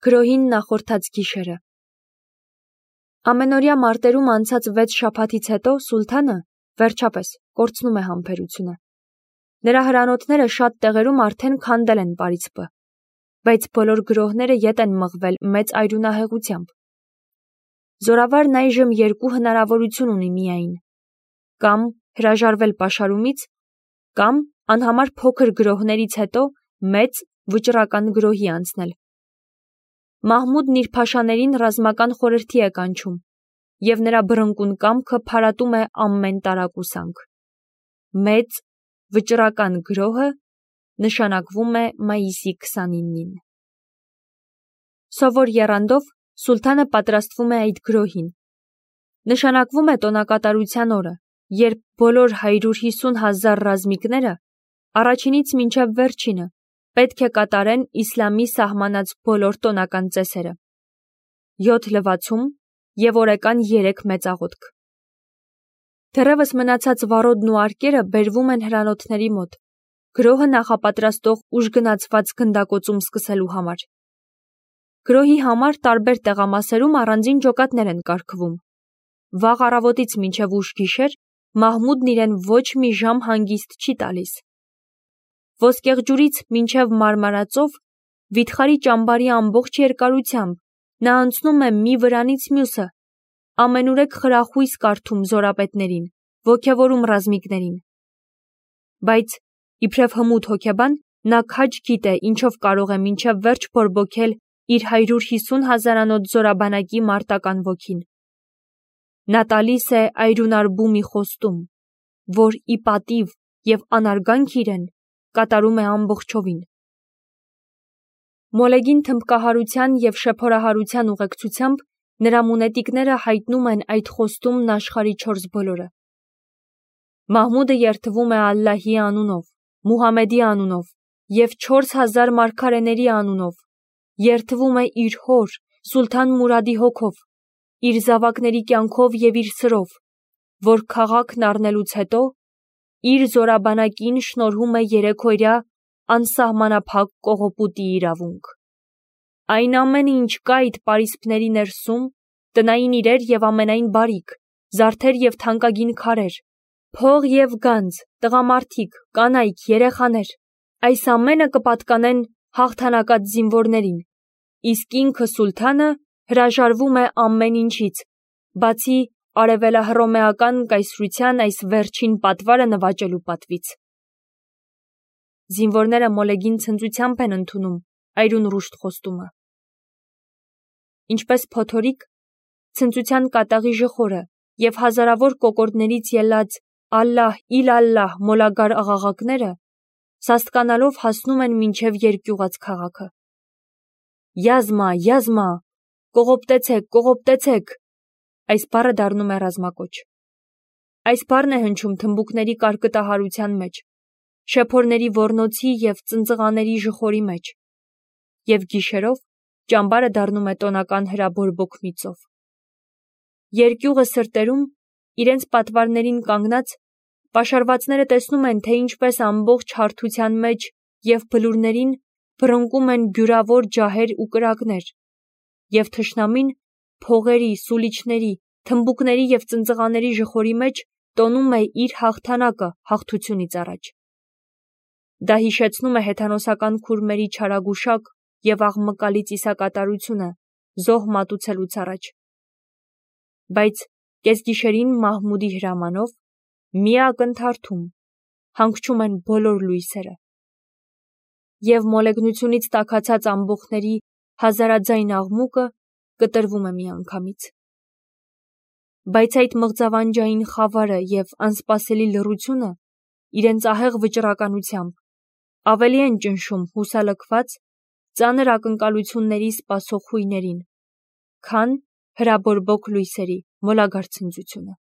Գրոհին նախորդած գիշերը։ Ամենօրյա մարտերում անցած 6 շաբաթից հետո Սուլթանը, վերջապես, կորցնում է համբերությունը։ Նրա հրանոթները շատ տեղերում արդեն քանդել են պարիսպը, բայց բոլոր գրոհները ետ են մղվել մեծ այրունահեղությամբ։ Զորավարն այժմ 2 հնարավորություն ունի միայն. կամ հրաժարվել պաշարումից, կամ անհամար փոքր գրոհներից հետո մեծ վճռական գրոհի անցնել։ Մահմուդն իր փաշաներին ռազմական խորհրդի է կանչում, և նրա բռնկուն կամքը փարատում է ամեն տարակուսանք։ Մեծ վճռական գրոհը նշանակվում է մայիսի 29-ին։ Սովոր եռանդով Սուլթանը պատրաստվում է այդ գրոհին։ Նշանակվում է տոնակատարության օրը, երբ բոլոր 150,000 ռազմիկները, առաջինից մինչև վերջինը, պետք է կատարեն իսլամի սահմանած բոլոր տոնական ծեսերը. 7 լվացում և օրեկան 3 մեծաղոթք։ Դեռևս մնացած վառոդն ու արկերը բերվում են հրանոթների մոտ, գրոհը նախապատրաստող ուժգնացված գնդակոծում սկսելու համար։ Գրոհի համար տարբեր տեղամասերում առանձին ջոկատներ են կարգվում։ Վաղ առավոտից մինչև ուշ գիշեր Մահմուդն իրեն ոչ մի ժամ հանգիստ չի տալիս։ Ոսկեղջյուրից մինչև Մարմարածով, վիթխարի ճամբարի ամբողջ երկարությամբ նա անցնում է մի վրանից մյուսը, ամենուրեք խրախույս կարդում զորապետներին, ոգևորում ռազմիկներին։ Բայց, իբրև հմուտ հոգեբան, նա քաջ գիտե ինչով կարող է մինչև վերջ բորբոքել իր 150,000-անոց զորաբանակի մարտական ոգին։ Նա տալիս է այրունարբու մի խոստում, որ ի պատիվ և անարգանք իրեն կատարում է ամբողջովին։ Մոլեգին թմբկահարության և շեփորահարության ուղեկցությամբ նրա մունետիկները հայտնում են այդ խոստումն աշխարհի 4 բոլորը։ Մահմուդը երդվում է Ալլահի անունով, Մուհամեդի անունով և 4000 մարգարեների անունով, երդվում է իր հոր Սուլթան Մուրադի հոգով, իր զավակների կյանքով և իր սրով, որ քաղաքն առնելուց հետո իր զորաբանակին շնորհում է 3-օրյա անսահմանափակ կողոպուտի իրավունք։ Այն ամենը, ինչ կա այդ պարիսպների ներսում, տնային իրեր և ամենայն բարիք, զարդեր և թանկագին քարեր, փող և գանձ, տղամարդիկ, կանայք, երեխաներ, այս ամենը կպատկանեն հաղթանակած զինվորներին, իսկ ինքը Սուլթանը հրաժարվում է ամեն ինչից, բացի արևելահռոմեական կայսրության այս վերջին պատվարը նվաճելու պատվից։ Զինվորները մոլեգին ցնծությամբ են ընդունում այրունռուշտ խոստումը։ Ինչպես փոթորիկ, ցնծության կատաղի ժխորը և հազարավոր կոկորդներից ելած «Ալլահ, իլալլահ» մոլագար աղաղակները սաստկանալով հասնում են մինչև երկյուղած քաղաքը։ «Յազմա, յազմա, կողոպտեցեք, կողոպտեցեք», այս բառը դառնում է ռազմակոչ։ Այս բառն է հնչում թմբուկների կարկտահարության մեջ, շեփորների ոռնոցի և ծնծղաների ժխորի մեջ, և գիշերով ճամբարը դառնում է տոնական հրաբորբոք մի ծով։ Երկյուղը սրտերում, իրենց պատվարներին կանգնած, պաշարվածները տեսնում են, թե ինչպես ամբողջ հարթության մեջ և բլուրներին բռնկում են բյուրավոր ջահեր ու կրակներ, և թշնամին փողերի, սուլիչների, թմբուկների և ծնծղաների ժխորի մեջ տոնում է իր հաղթանակը հաղթությունից առաջ։ Դա հիշեցնում է հեթանոսական քուրմերի չարագուշակ և աղմկալի ծիսակատարությունը զոհ մատուցելուց առաջ։ Բայց կեսգիշերին Մահմուդի հրամանով, մի ակնթարթում, հանգչում են բոլոր լույսերը, և մոլեգնությունից տաքացած ամբոխների հազարաձայն աղմուկը կտրվում է միանգամից։ Բայց այդ մղձավանջային խավարը և անսպասելի լռությունը իրենց ահեղ վճռականությամբ ավելի են ճնշում հուսալքված, ծանր ակնկալությունների սպասող հույներին, քան հրաբորբոք լույսերի մոլագար ցնծությունը։